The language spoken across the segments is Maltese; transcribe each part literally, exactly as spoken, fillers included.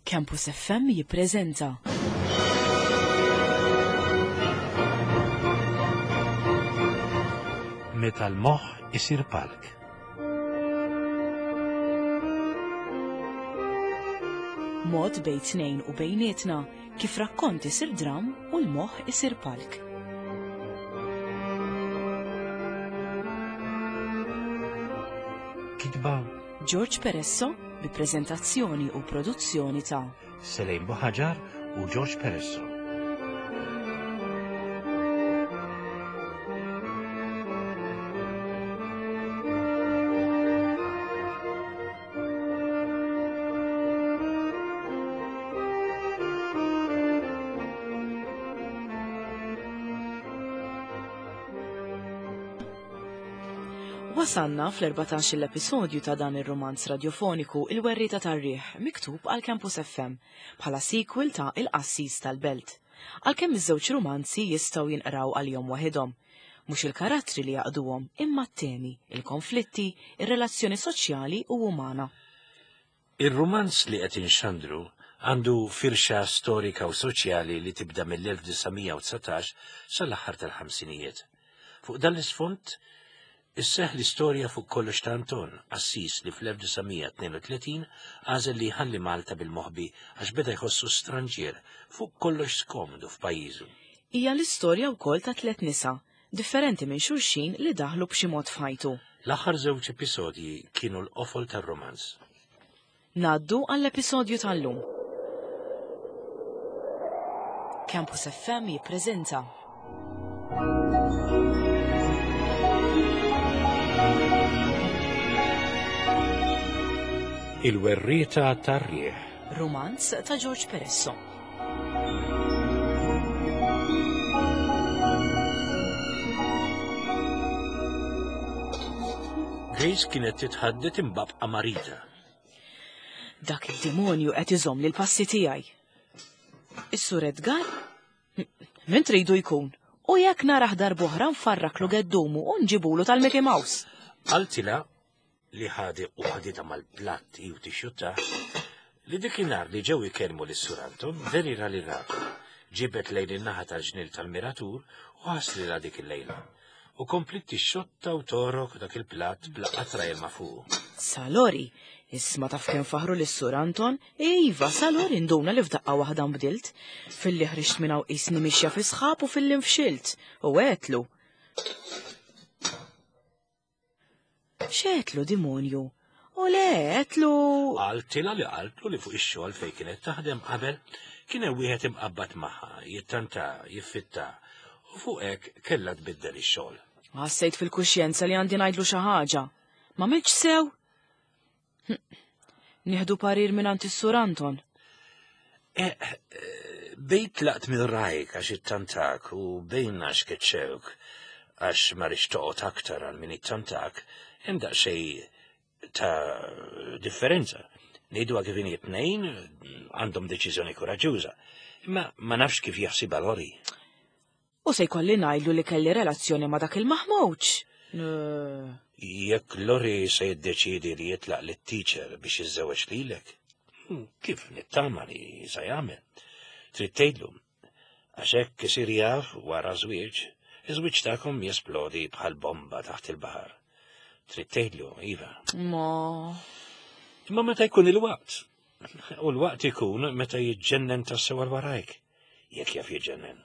Campus F M jippreżenta Meta l-moħħ isir palk. Mod bejn tnejn u bejnietna kif rakkont isir dram u l-moħħ isir palk. Kitba George Peresso bi preżentazzjoni u produzzjoni ta' Selejn Buħaġar u George Peresso. Wasanna fl-erbatax l-episodju ta' dan ir-romanz radiofoniku Il-Werrieta tar-Riħ, miktub għal Campus F M bħala sequel ta' Il-Qassis tal-Belt. Għalkemm iż-żewġ romanzi jistgħu jinqraw għalihom waħedhom. Mhux il-karattri li jaqduhom, imma t-temi, il-konflitti, ir-relazzjoni soċjali u umana. Ir-romanz li qed inxandru għandu firxa storika u soċjali li tibda mill-elf disa' mija u dsatax sal-aħħar tal-ħamsinijiet. Fuq dan l-isfond isseħ l-istorja fuq kollox ta' Anton, qassis li fl-elf disa' mija tnejn u tletin għażel li jħalli Malta bil-moħbi għax beda jħossu stranġier fuq kollox skomdu f'pajjiżu. Hija l-istorja wkoll ta' tliet nisa, differenti minn xulxin, li daħlu b'xi mod f'ħajtu. L-aħħar żewġ episodji kienu l-qofol tar-romanz. Ngħaddu għall-episodju tal-lum. Campus F M jippreżenta Il-Werrieta tar-Riħ. Romanz ta' George Peresso. Grace kienet titħaddet imbabqa marita. Dak il-demonju qed iżomm li l-passi tiegħi. Is-Sur Edgar? Min tridu jkun? U jekk narah darb'oħra nfarraklu geddumu u nġibulu tal-Mickey Mouse. Qaltilha li ħadi u ħadita mal-platt u tixjutta li dikinhar li ġew ikellmu lis-Sur Anton verira li ratu. Ġibet lejn in-naħa tal-ġnien tal-miratur u ħaslilha dik il-lejla. U komplit tixxotta u torok dak il-platt bla qatra ilma fuqu. Salori, isma taf kemm faħru lis-Sur Anton, iva, Salori nduna li f'daqqa waħda nbdilt. Filli ħriġt minn hawn qisni mixja fi sħab u filli nfxilt. U għedtlu. X'għedtlu, dimonju? U le, għedtlu. Qaltilha li qaltlu li fuq ix-xogħol fejn kienet taħdem qabel kien hemm wieħed imqabbad magħha, jittanta, jiffitta, u fuq hekk kellha tbiddel ix-xogħol. Ħassejt fil-kuxjenza li għandi ngħidlu xi ħaġa. Ma milx sew? Hm. Nieħdu parir minn għand is-Sur Anton. Eh, eh, bejn tlaqt minn rajk għax ittantak u bejn għax keċċewk għax ma rridx toqgħod aktar għal min ittantak, hemm daqsxejn ta' differenza. Ngħidu kif inhi, tnejn għandhom deċiżjoni koraġġuża. Imma ma nafx kif jaħsibha Lori. U se jkolli ngħidlu li kelli relazzjoni ma' dak il-maħmuġ. Jekk Lori se jiddeċidi li jitlaq lit-teacher biex jiżżewweġ lilek, hmm, kif nittama li se jagħmel? Trid tgħidlu, għax hekk isir jaf wara żwieġ, iż-żwieġ tagħkom jesplodi bħal bomba taħt il-baħar. Trid tgħidlu, iva. Ma. Imma meta jkun il-waqt? U l-waqt ikun meta jiġġennen tassew għal warajk, jekk jaf jiġġennen.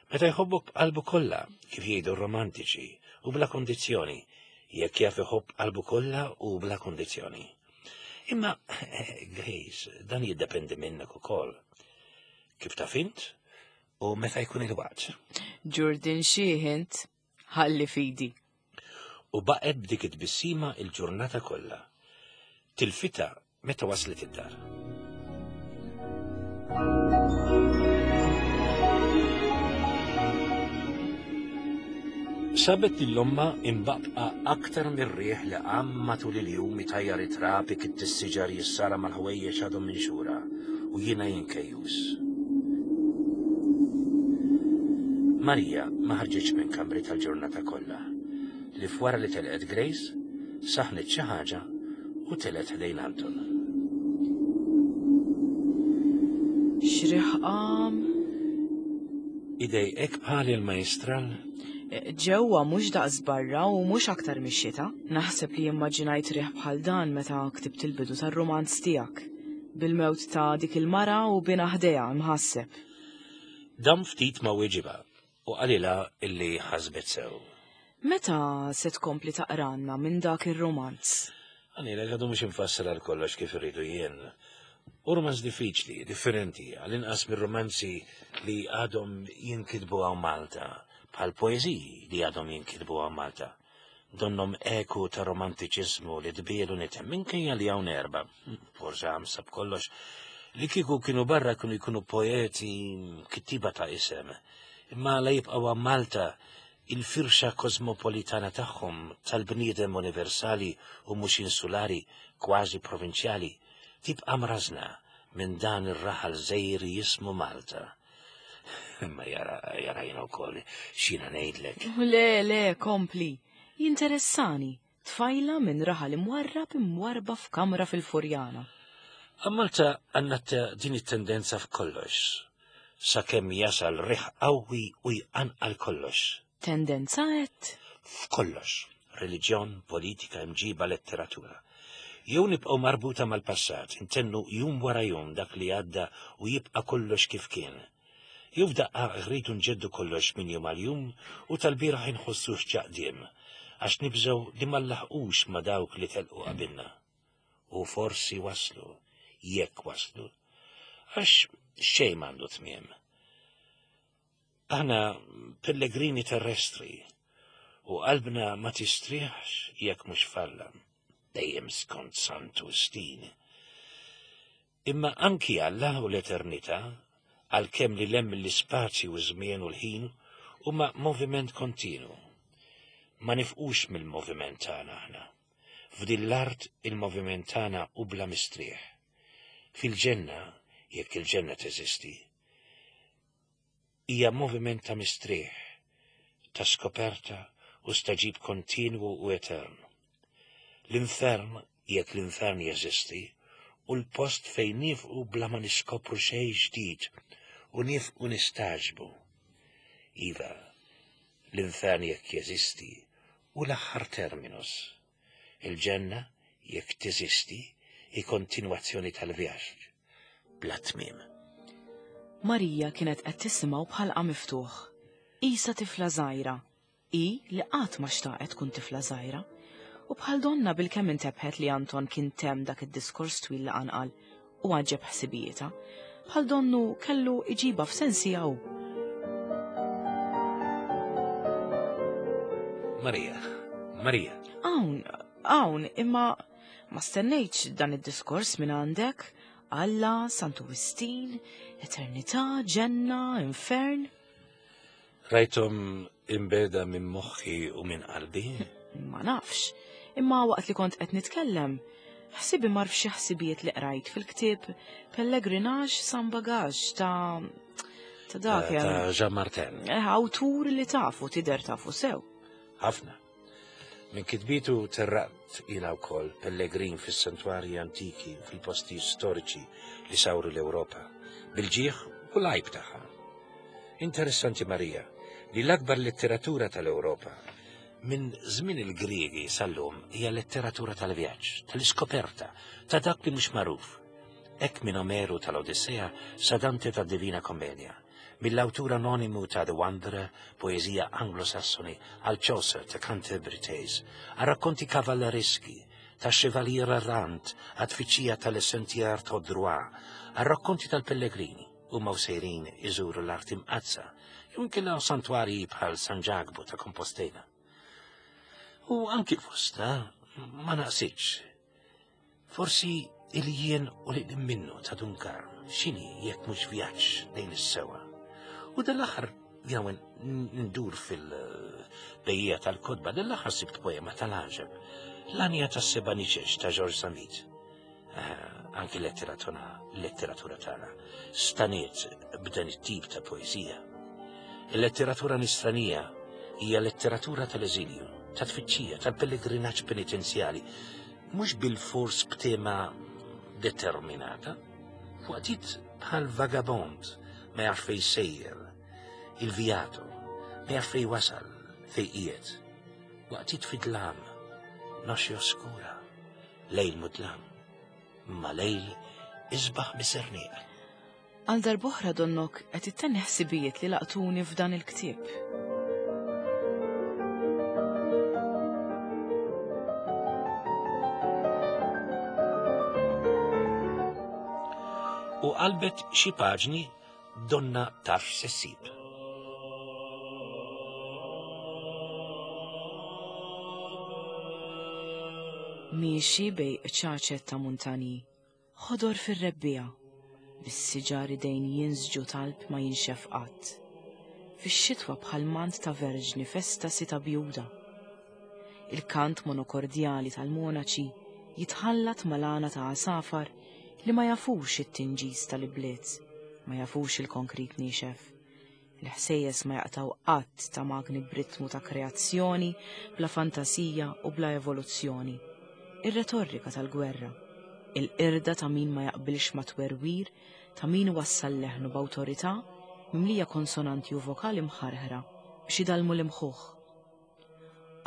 Meta jħobbok b'qalbu kollha, kif jgħidu romantiċi, u bla kondizzjoni, jekk jaf iħobb qalbu kollha u bla kondizzjoni. Imma, Grace, dan jiddependi minnek ukoll. Kif taf int u meta jkun il-waqt. Ġurdin xieħint, ħalli fidi. U baqgħet b'dik it-tbissima il-ġurnata kollha. Tilfita meta waslet id-dar. Sabet lil ommha imbaqqa aktar mir-riħ li qam matul il-jum itajjar it-trab ikidd is-siġar jissara mal-ħwejjeġ għadhom minxura u jiena jinkejjus. Marija ma ħarġitx minn kamri tal-ġurnata kollha. Li fwara li telqet Grace, saħnet xi ħaġa u telgħet ħdejn Anton. X'riħ qam? Idejqek bħal il-majstral? Ġewwa mhux daqs barra u mhux aktar mix-xita. Naħseb li immaġinajt riħ bħal dan meta ktibt il-bidu tar-rumanz tiegħek. Bil-mewt ta' dik il-mara u bina ħdejha imħasseb. Dam ftit ma weġibha u qalilha illi ħasbet sew. Meta se tkompli taqranna minn dak ir-romanz? Għanilek għadu mhux infassal għal kollox kif irridu jien. U romanz diffiċli, differenti, għal-inqas mir-romanzi li għadhom jinkitbu hawn Malta, bħal poeżiji li għadhom jinkitbu hawn Malta. Donnom eku ta' romantiċiżmu li tbielu nitem minkejja li hawn erba, forsi ħamsa b'kollox, li kieku kienu barra kienu jkunu poeti kittiba ta' isem. Imma la jibqgħu hawn Malta il-firxa kosmopolitana tagħhom tal-bniedem universali u mhux insulari, kważi provinċjali, tibqa' mrażna minn dan ir-raħal żgħir jismu Malta. Imma jara jara jiena wkoll x'jiena ngħidlek. Le, le, kompli. Jinteressani. Tfajla minn raħal imwarrab imwarrba f'kamra fil-Furjana. A Malta għandna din it-tendenza f'kollox, sakemm jasal riħ qawwi u jqanqal kollox. Tendenza qed? F'kollox. Reliġjon, politika, imġiba, letteratura. Jew nibqgħu marbuta mal-passat, intennu jum wara jum dak li għadda u jibqa' kollox kif kien. Jew f'daqqa rridu nġeddu kollox minn jum għal jum u tal-bieraħ inħossux ġaqdiem, għax nibżgħu li ma nlaħqux ma' dawk li telqu qabilna. U forsi waslu, jekk waslu, għax xejn m'għandu tmiem. Aħna pellegrini terrestri u qalbna ma tistrieħx jekk mhux falla, dejjem skont Santu Wistin. Imma anki Alla u l-eternità, għalkemm li lemm l-ispazju u żmien u l-ħin, huma moviment kontinu. Ma nifqux mill-moviment tagħna aħna. F'din l-art il-moviment tagħna hu bla mistrieħ. Fil-ġenna, jekk il-ġenna teżisti, hija moviment ta' mistrieħ, ta' skoperta u staġib kontinwu u etern. L-infern, jekk l-infern jeżisti, u l-post fejn nifqu bla ma niskopru xejn ġdid u nifqu nistaġbu. Iva, l-infern jekk jeżisti u l-aħħar terminus. Il-ġenna, jekk teżisti, hi kontinwazzjoni tal-vjaġġ, bla tmiem. Marija kienet qed tisimgħu bħalqa miftuħ. Isa tifla żgħira, hi li qatt ma xtaqet tkun tifla żgħira. U bħal donna bil-kemm intebħet li Anton kien temm dak id-diskors twil li qanqal u għaġeb ħsibijietha, bħal donnu kellu iġiba f'sensiha hu. Marija, Marija. Hawn, hawn, imma ma stennejtx dan id-diskors minn għandek. Alla, Santu Wistin, eternità, ġenna, infern. Rajthom imbeda minn moħħi u minn qalbi? Ma nafx, imma waqt li kont qed nitkellem, ħsibi mar f'xi ħsibijiet li qrajt fil-ktieb Pellegrinaġ San Bagage ta' ta' dak Ta' ta' Jean Martin. Eh, awtur li tafu, tidher tafu sew. Ħafna. Minn kitbitu terraqt jiena wkoll pellegrin fis-santwarji antiki fil-posti storiċi li sawru l-Ewropa, bil-ġieħ u l-għajb tagħha. Interessanti Marija, li l-akbar letteratura tal-Ewropa minn żmien il-Griegi sal-lum hija letteratura tal-vjaġġ, tal-iskoperta, ta' dak li mhux magħruf. Hekk minn Omeru tal-Odissea sa Dante tad-Divina Commedia, mill-awtur anonimu ta' The Wanderer, poeżija anglosassoni, għal Chaucer ta' Canterbury Tales, għal rakkonti kavallereski, ta' Chevalier Errant, għat tfittxija tal-Sentier tout droit, għal rakkonti tal-Pellegrini, huma u sejrin iżuru l-art imqaddsa, jew inkella santwarji bħal San Ġakbu ta' Compostela. U anki fostna ma naqsitx. Forsi il-jien u li minnu ta' Dun Karm, x'inhi jekk mhux vjaġġ lejn is-sewa. U dal-aħħar jew ndur fil-bejja tal-kotba, dal-aħħar sibt poema tal-għaġeb, l-Anja tas-Seba' Niċeċ ta' George Samit. Anki letteratura, letteratura tagħna staniet b'dan it-tip ta' poeżija. Il-letteratura nisranija hija letteratura tal-eżilju, ta' tfittxija, tal-pellegrinaġġ penitenzjali, mhux bil-fors b'tema determinata, Waqtiet bħal vagabond ma jafx fejn sejjer, il-vijato, ma jafx fejn wasal, fejn qiegħed. Waqtiet fid-dlam, noxi oskura, lejl mudlam, ma lejl isbaħ miserniq. Għal darb'oħra donnok qed ittenni ħsibijiet li laqtuni f'dan il-ktieb. U qalbet xi paġni donna taf se ssib. Miexi bej ċaċet ta' muntani, ħodor fir-rebbiegħa, bis-siġar idejn jinsġu talb ma jinxef qatt. Fix-xitwa bħal mant ta' verġni festa sita bjuda. Il-kant monokordjali tal-monaċi jitħallat mal-għana ta' għasafar li ma jafux it-tinġis tal-ibliet, ma jafux il-konkrit niexef. Il-ħsejjes ma jaqtaw qatt ta' magni b'ritmu ta' kreazzjoni, bla fantasija u bla evoluzzjoni. Ir-retorika tal-gwerra, il-qirda ta' min ma jaqbilx ma' twerwir, ta' min wassal leħnu b'awtorità mimlija konsonanti u vokali mħarħra biex idalmu l-imħuħ.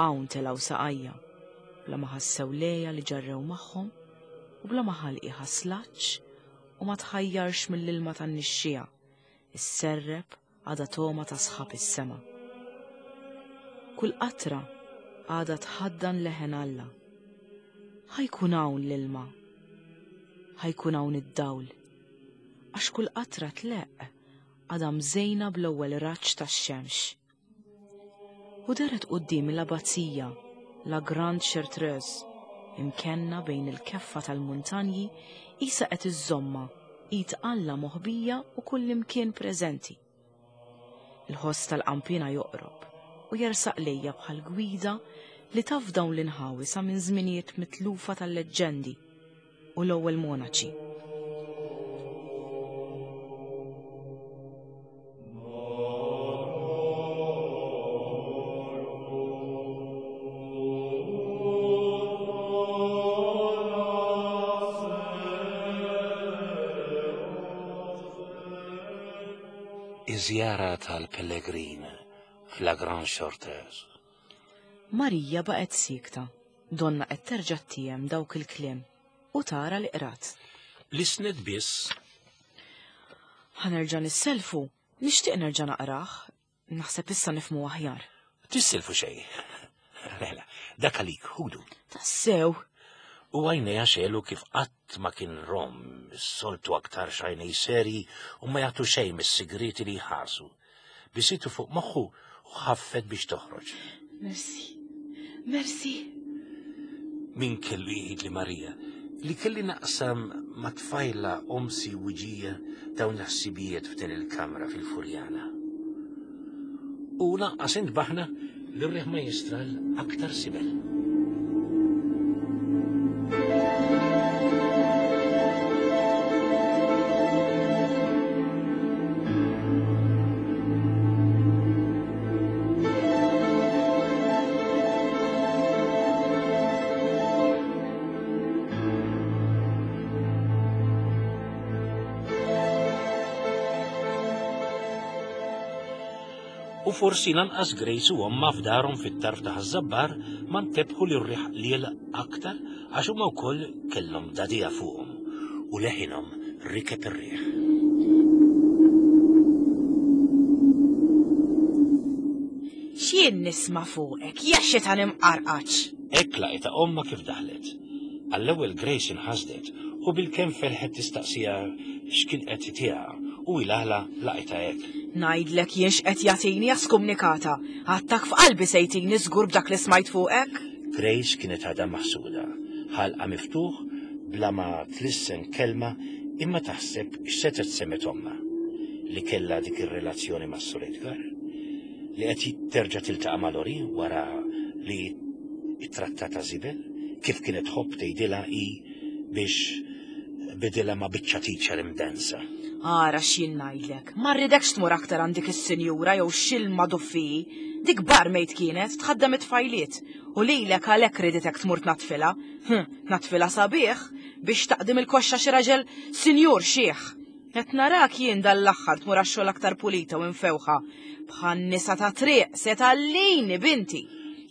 Hawn telgħu saqajja, bla ma ħassew lejja li ġarrew magħhom u bla ma ħalqi ħaslaċ u ma tħajjarx mill-ilma tan-nixxija, isserreb għadha toma ta' sħab is-sema. Kull qatra għadha tħaddan leħen Alla. Ħajkun hawn l-ilma, ħajkun hawn id-dawl, għax kull qatra tleqq għadha mżejna bl-ewwel raġġ tax-xemx. U deret quddiem l-abbazija, la Grande Chartreuse, imkenna bejn il-keffa tal-muntanji isa qed iżżomma id Alla moħbija u kullimkien preżenti. Il-ħoss tal-qampina joqrob u jersaq lejja bħal gwida li taf dawn l-inħawi sa minn żminijiet mitlufa tal-leġġendi u l-ewwel monaċi. Iż-żjara tal-Pellegrin f'La Grande Chartreuse. Marija baqgħet siekta, donna qed terġa' tiem dawk il-kliem u tara li qrat. Lisnet biss. Ħa nerġa' nisselfu, nixtieq nerġa' naqrah, naħseb issa nifhmu aħjar. Tisselfu xejn. Lela, dak għalik ħudu. Tassew. U għajnejha xelu kif qatt ma kien rom, is-soltu aktar xajnej seri u ma jagħtu xejn mis-sigriti li jħarsu. Bisitu fuq moħħu u ħaffet biex toħroġ. Merci, merci. Min kellu jgħid li Marija li kelli naqsam ma' tfajla omsi wiġija dawn l-ħsibijiet f'din il-kamra fil-Furjana. U lanqas intbaħna li r-riħ ma jistral aktar sibel. U forsi lanqas Grace u omma f'darhom fit-tarf ta' Ħaż-Żabbar ma ntebħu li r-riħ qliel aktar għax huma wkoll kellhom dadija fuqhom u leħinhom rikeb ir-riħ. X'jien nisma' fuqek, ja xitan imqarqaċ. Hekk laqitha omma kif daħlet. Għall-ewwel Grace inħasdet u bilkemm felħet tistaqsija x'kien qed itiha u ilaħla laqitha hekk. Ngħidlek jien x'qed jagħtini skumnikata, għattak f'qalbi se jtini żgur b'dak li smajt fuqek. Grace kienet għadha maħsuda, ħalqa miftuħ bla ma tlissen kelma imma taħseb x'setgħet semmet omma li kellha dik ir-relazzjoni mas Sur Edgar, li qed terġa' tiltaqa' ma' Lori wara li ittrattata żibel, kif kienet tħobb tgħidilha hi biex bidilha ma' biċċa teacher imdensa. Ara x'jien ngħidlek, ma rridekx tmur aktar għand dik is-sinjura jew x'ilma duffiji. Dik barmaid kienet tħaddem it-tfajliet u lilek għalhekk riditek tmur tnatfilha. Hm, tnatfilha sabiħ biex taqdim il-koxxa xi raġel sinjur xiħ. Qed narak jien dal-aħħar tmur għax-xogħol aktar pulita u mfewħa. Bħan-nisa ta' triq se tgħallini binti.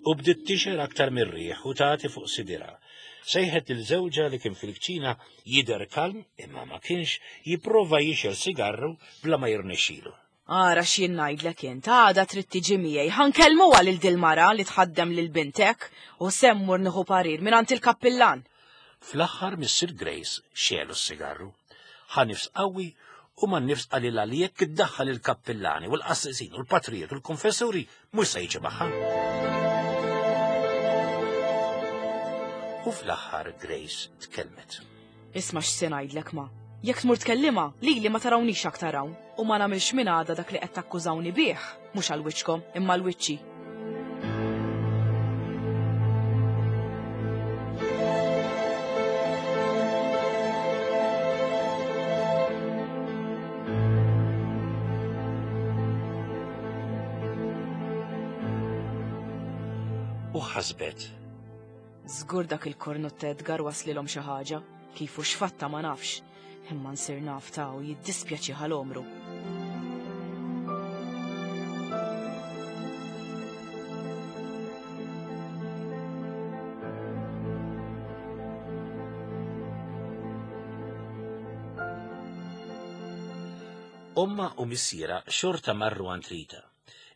U bdiet tixer aktar mir-riħ u tagħti fuq sidirha. Sejħet lil żewġha li kien fil-kċina jidher kalm imma ma kienx jipprova jixel sigarru bla ma jirnexxilu. Ara x'jien ngħidlek int, għada trid tiġi miegħi, ħa nkellmuha lil dil-mara li tħaddem lil bintek u se mmur nieħu parir mingħand il-kappillan. Fl-aħħar Missier Grace xelu s-sigarru. Ħa nifs qawwi u man nifs qalilha li jekk iddaħħal il-kappillani u l-qassisin u l-patrijiet u l-konfessuri mhux se jiġi magħha. U fl-aħħar Grace tkellmet. Isma' x'se ngħidlek ma. Jekk tmur tkellimha, lili ma tarawnix aktar hawn u ma nagħmilx minn għada dak li qed takkużawni bih, mhux għal wiċċkom, imma għal wiċċi. U ħasbet. Żgur dak il-kornut Edgar waslilhom xi ħaġa, kif u x'fatta ma nafx, imma nsir naf ta' u jiddispjaċi ħal-omru. Omma u missiera xorta marru għand Rita.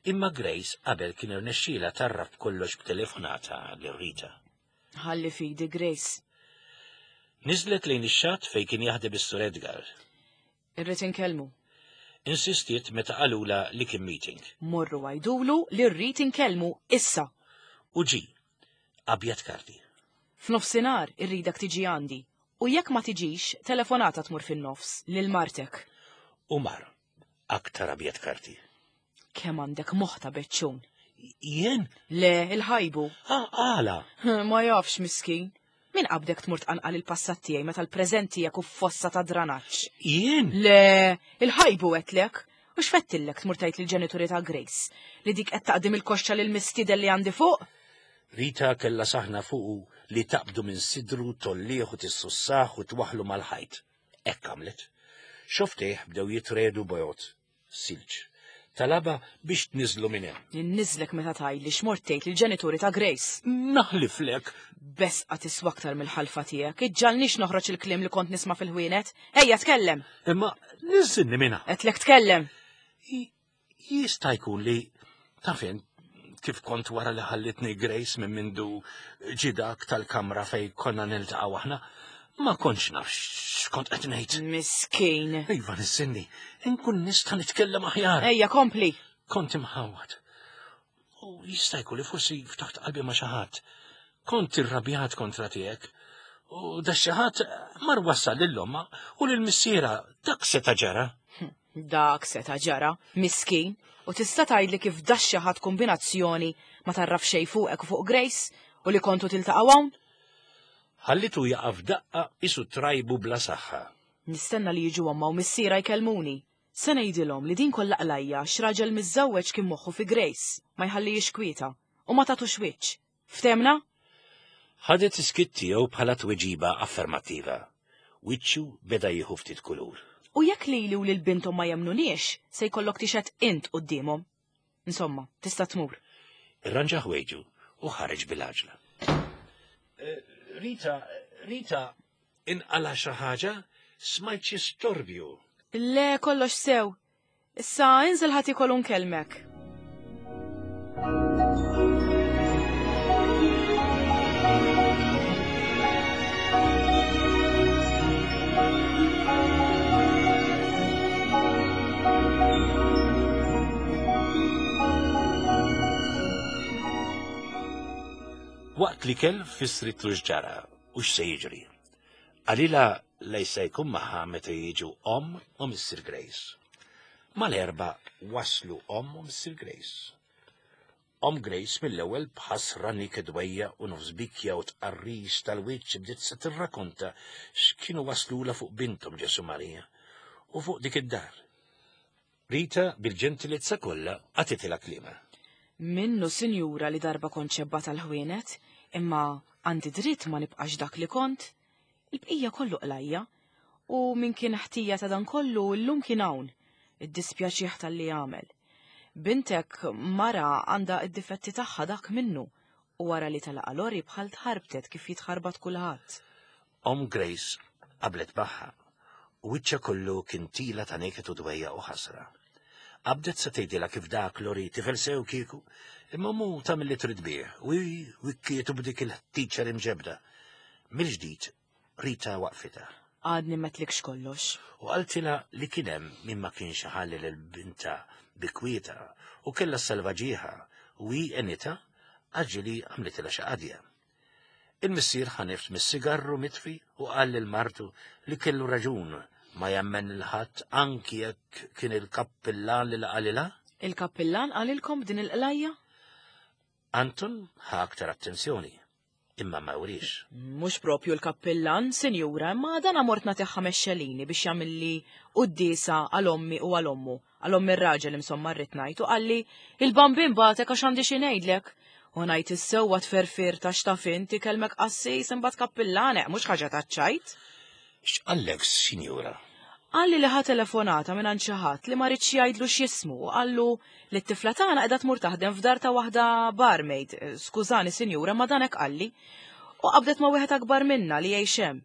Imma Grace qabel kien irnexxielha tarraf kollox b'telefonata lil Rita. Ħalli fidi Grace. Niżlet lejn ix-xatt fejn kien jaħdem is-Sur Edgar. Irrid inkellmu. Insistiet meta qalula li kien meeting. Morru għajdulu li rrid inkellmu issa. U ġi, abjad karti. F'nofsinhar irridek tiġi għandi. U jekk ma tiġix, telefonata tmur fin-nofs lil martek. U mar, aktar abjad karti. Kemm għandek moħħ ta' beċċun. Jien? Le, il-ħajbu. Ah, għala. Ma jafx miskin. Min qabdek tmur tqanqal il-passat tiegħi meta l-preżent tiegħek u fossa ta' dranaġġ? Jien? Le, il-ħajbu għetlek. U x'fettillek tmur tgħid lill-ġenituri ta' Grace li dik qed taqdim il-koxxa lil mistieden li għandi fuq? Rita kellha saħna fuqu li taqbdu minn sidru tollieħ u tissussaħ u twaħlu mal-ħajt. Hekk għamlet. Xoftejh bdew jitredu bojot. Silġ. Talaba biex tniżlu minn hemm. Ninniżlek meta tgħidli x'mort tgħid lill-ġenituri ta' Grace. Naħliflek. Besqa tiswa aktar mill-ħalfa tiegħek. Iġġalnix noħroġ il-kliem li kont nisma' fil-ħwienet. Ejja tkellem. Imma niżilni minnha. Qedlek tkellem. Jista' jkun li taf int kif kont wara li ħallitni Grace minn mindu ġidak tal-kamra fejn konna niltaqgħu aħna. Ma kontx naf x'kont qed ngħid. Miskin. Iva nissinni, inkun nista' nitkellem aħjar. Ejja kompli. Kont imħawwad. U jista' jkun li forsi ftaħt qalbi ma' xi ħadd. Kont irrabjat kontra tiegħek. U da xi ħadd mar wassal lil omma u lil missiera dak seta' ġara. Dak seta' ġara, miskin. U tista' tgħidli kif da xi ħadd kombinazzjoni ma tarraf xejn fuqek u fuq Grace u li kontu tiltaqgħu hawn? Ħallitu jaqaf daqqa isu trajbu bla saħħa. Nistenna li jiġu omma u missiera jkellmuni. Se ngħidilhom li din kollha qlajja x'raġel miżżewweġ kien moħħu fi Grace, ma jħallihiex kwieta u ma tagħtux wiċċ. Ftemna? Ħadet iskitt tiegħu bħala tweġiba affermattiva. Wiċċu beda jieħu ftit kulur. U jekk lili u lil binthom ma jemnuniex, se jkollok tixhed int quddiemhom. Insomma, tista' tmur. Irranġa ħwejġu u ħareġ bil-għaġla. Rita, Rita, inqala xi ħaġa, smajt xi storbju. Le, kollox sew. Issa inżel ħadd ikollu nkellmek. Waqt li kell fissritlu x'ġara u x'se jiġri. Qalilha lej se jkun magħha meta jiġu omm u Missier Grace. Mal-erba waslu omm u Missier Grace. Omm Grace mill-ewwel b'ħasra nikedwejja u nofs bikja u tqarris tal-wiċċ bdiet se tirrakonta x'kienu waslula fuq binthom Ġesu Marija. u fuq dik id-dar. Rita bil-ġentilezza kollha għatitilha kliema. Minnu, sinjura, li darba kont xebba tal-ħwienet, imma għandi dritt ma nibqax dak li kont. Il-bqija kollu qlajja, u min kien ħtija ta' dan kollu llum kien hawn, id-dispjaċih tal-li għamel. Bintek mara għandha id-difetti tagħha dak minnu, u wara li talaqa Lori bħal tħarbtet kif jitħarbat kulħadd. Om Grace qablet magħha, u wiċċha kollu kien tila ta' neket u dwejja u ħasra. Qabdet se tgħidilha kif dak Lori tifel sew kieku, imma mu tagħmel li trid bih, u wikkietu b'dik il-teacher imġebda. Mill-ġdid Rita waqfitha. Għadni metlikx kollox. U qaltilha li kien hemm min ma kienx ħalli lil binta bikwieta u kellha salvaġieħa u hi enita għaġili għamlitilha xi qadja. Il-missier ħanift mis-sigarru mitfi u qal lil martu li kellu raġun ma jemmen il-ħadd anki jekk kien il-kappillan li laqalilha. Il-kappillan qalilkom b'din il-qlajja? Anton ħa aktar attenzjoni, imma ma wrix. Mhux propju l-kappillan, sinjura, imma dan mort nagħtih ħames xelini biex jagħmilli quddiesa għal ommi u għal ommu. Għal ommi r-raġel insomma rrid ngħid u qalli il-bambin batek għax għandi xi ngħidlek. U ngħid is-sewwa tferfir ta' x'taf inti kelmek qassis imbagħad kappillan, mhux ħaġa taċ-ċajt. X'qallek, sinjura? Qalli li ħa telefonata minn għand xi ħadd li ma ridx jgħidlu x'jismu u qallu li t-tifla tagħna qiegħda tmur taħdem f'dar ta' waħda barmaid. Skużani, sinjura, ma dan hekk qalli. U qabdet ma' wieħed akbar minna li jgħix hemm.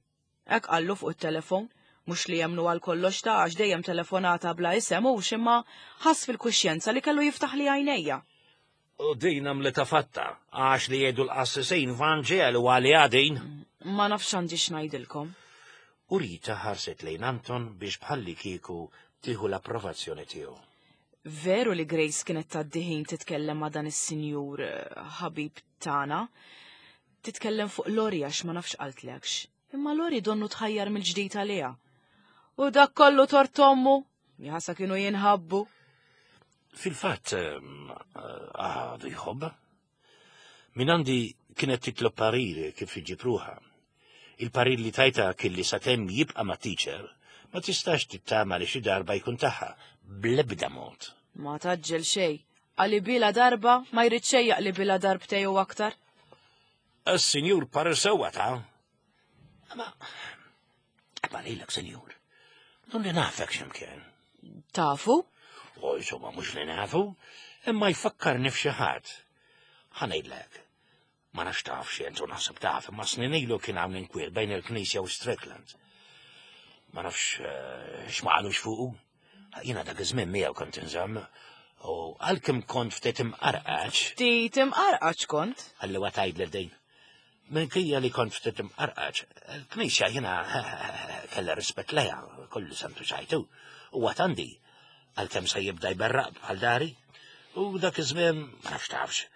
Hekk qallu fuq it-telefon, mhux li jemnu għal kollox ta' għax dejjem telefonata bla isem hux imma ħass fil-kuxjenza li kellu jiftaħ li għajnejja. U din għamlitha fatta għax li jgħidu l-qassisin Vanġelu għali għadin. Ma nafx għandi x'ngħidilkom. U Rita ħarset lejn Anton biex bħalli kieku tieħu l-approvazzjoni tiegħu. Veru li Grace kienet tgħaddi ħin titkellem ma' dan is-sinjur ħabib tagħna. Titkellem fuq Lori għax ma nafx qaltlekx. Imma Lori donnu tħajjar mill-ġdid għaliha. U dak kollu tort ommu, jħassa kienu jinħabbu. Fil-fatt għadu jħobb. Min għandi kienet titlob pariri kif iġib ruħha. Il-parir li tajta kien li sakemm jibqa' ma' teacher, ma tistax tittama li xi darba jkun tagħha bl-ebda mod. Ma taġġel xejn, għali bila darba ma jrid xejn jaqli bila darbtej u aktar. Is-sinjur parir sewwa ta' Ma ma lilek, sinjur, non li nafek x'imkien. Tafu? U insomma mhux li nafu, imma jfakkarni f'xi ħadd. Ħa ngħidlek. Ma nafx taf xi entu naħseb taf, imma snin ilu kien hawn inkwiet bejn il-Knisja u Strickland. Ma nafx x'ma qalux fuqu. Jiena dak iż-żmien miegħu kont inżomm, u għalkemm kont ftit imqarqaċ. Ftit imqarqaċ kont? Ħalli wa tgħidlek din. Minkejja li kont ftit imqarqaċ, il-Knisja jiena kellha rispett lejha, kollu semtu ċajtu. U għad għandi, għalkemm se jibda jberraq bħal dari, u dak iż-żmien ma nafx tafx.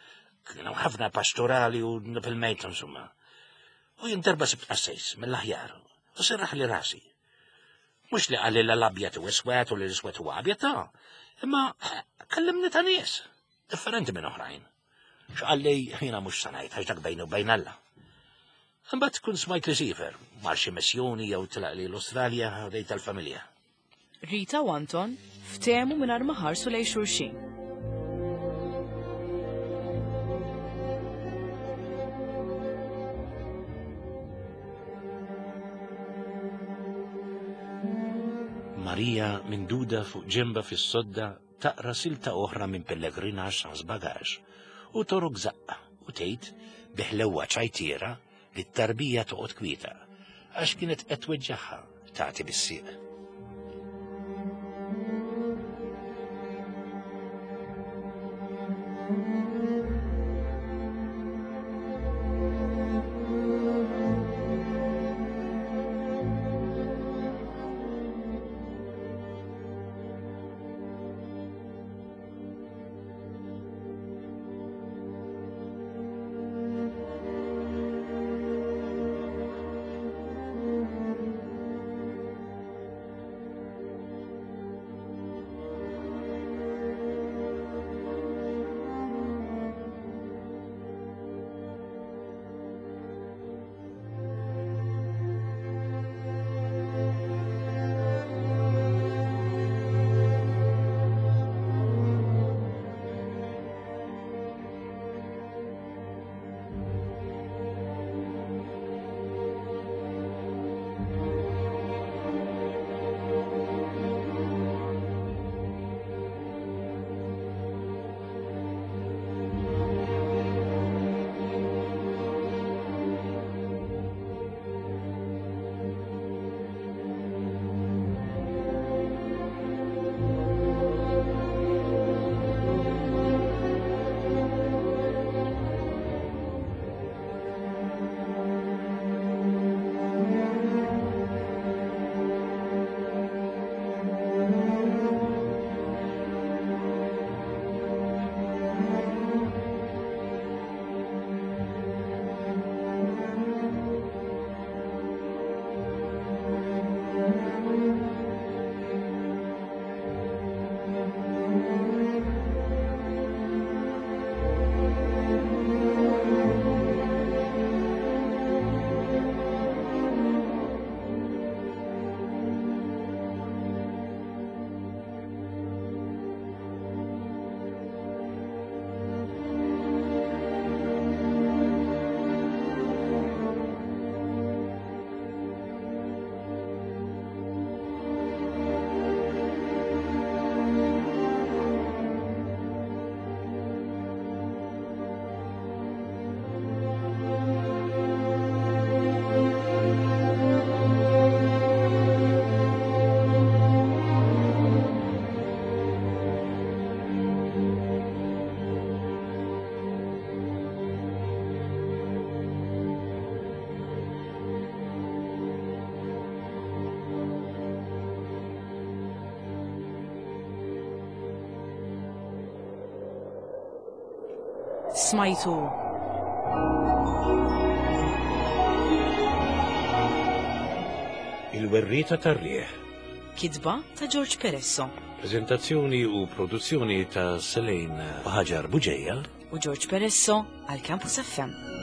Kienu ħafna pastorali u fil-mejt insomma. U jien darba sibt qassis mill-aħjar u serraħ li rasi. Mhux li qalli l-abjad u iswed u li l-iswed huwa abjad ta' imma kellimni ta' nies differenti minn oħrajn. X'qalli jiena mhux se ngħid għax dak bejnu bejn Alla. Imbagħad tkun smajt li siefer mar xi missjoni jew tilaq li l-Awstralja ħdejt tal-familja. Rita u Anton ftehmu mingħajr ma ħarsu lejn xulxin. Marija minduda fuq ġemba fis-sodda taqra silta oħra minn Pellegrinax sans bagaġ u torok zaqqa u tgħid biħlewwa ċajtiera li t-tarbija toqgħod kwieta għax kienet qed tweġġagħha tagħti bis-sieq. Smajtu Il-Werrieta tar-Riħ. Kitba ta' George Peresso. Prezentazzjoni u produzzjoni ta' Selene Ħaġar Buġeja u George Peresso għal Campus F M.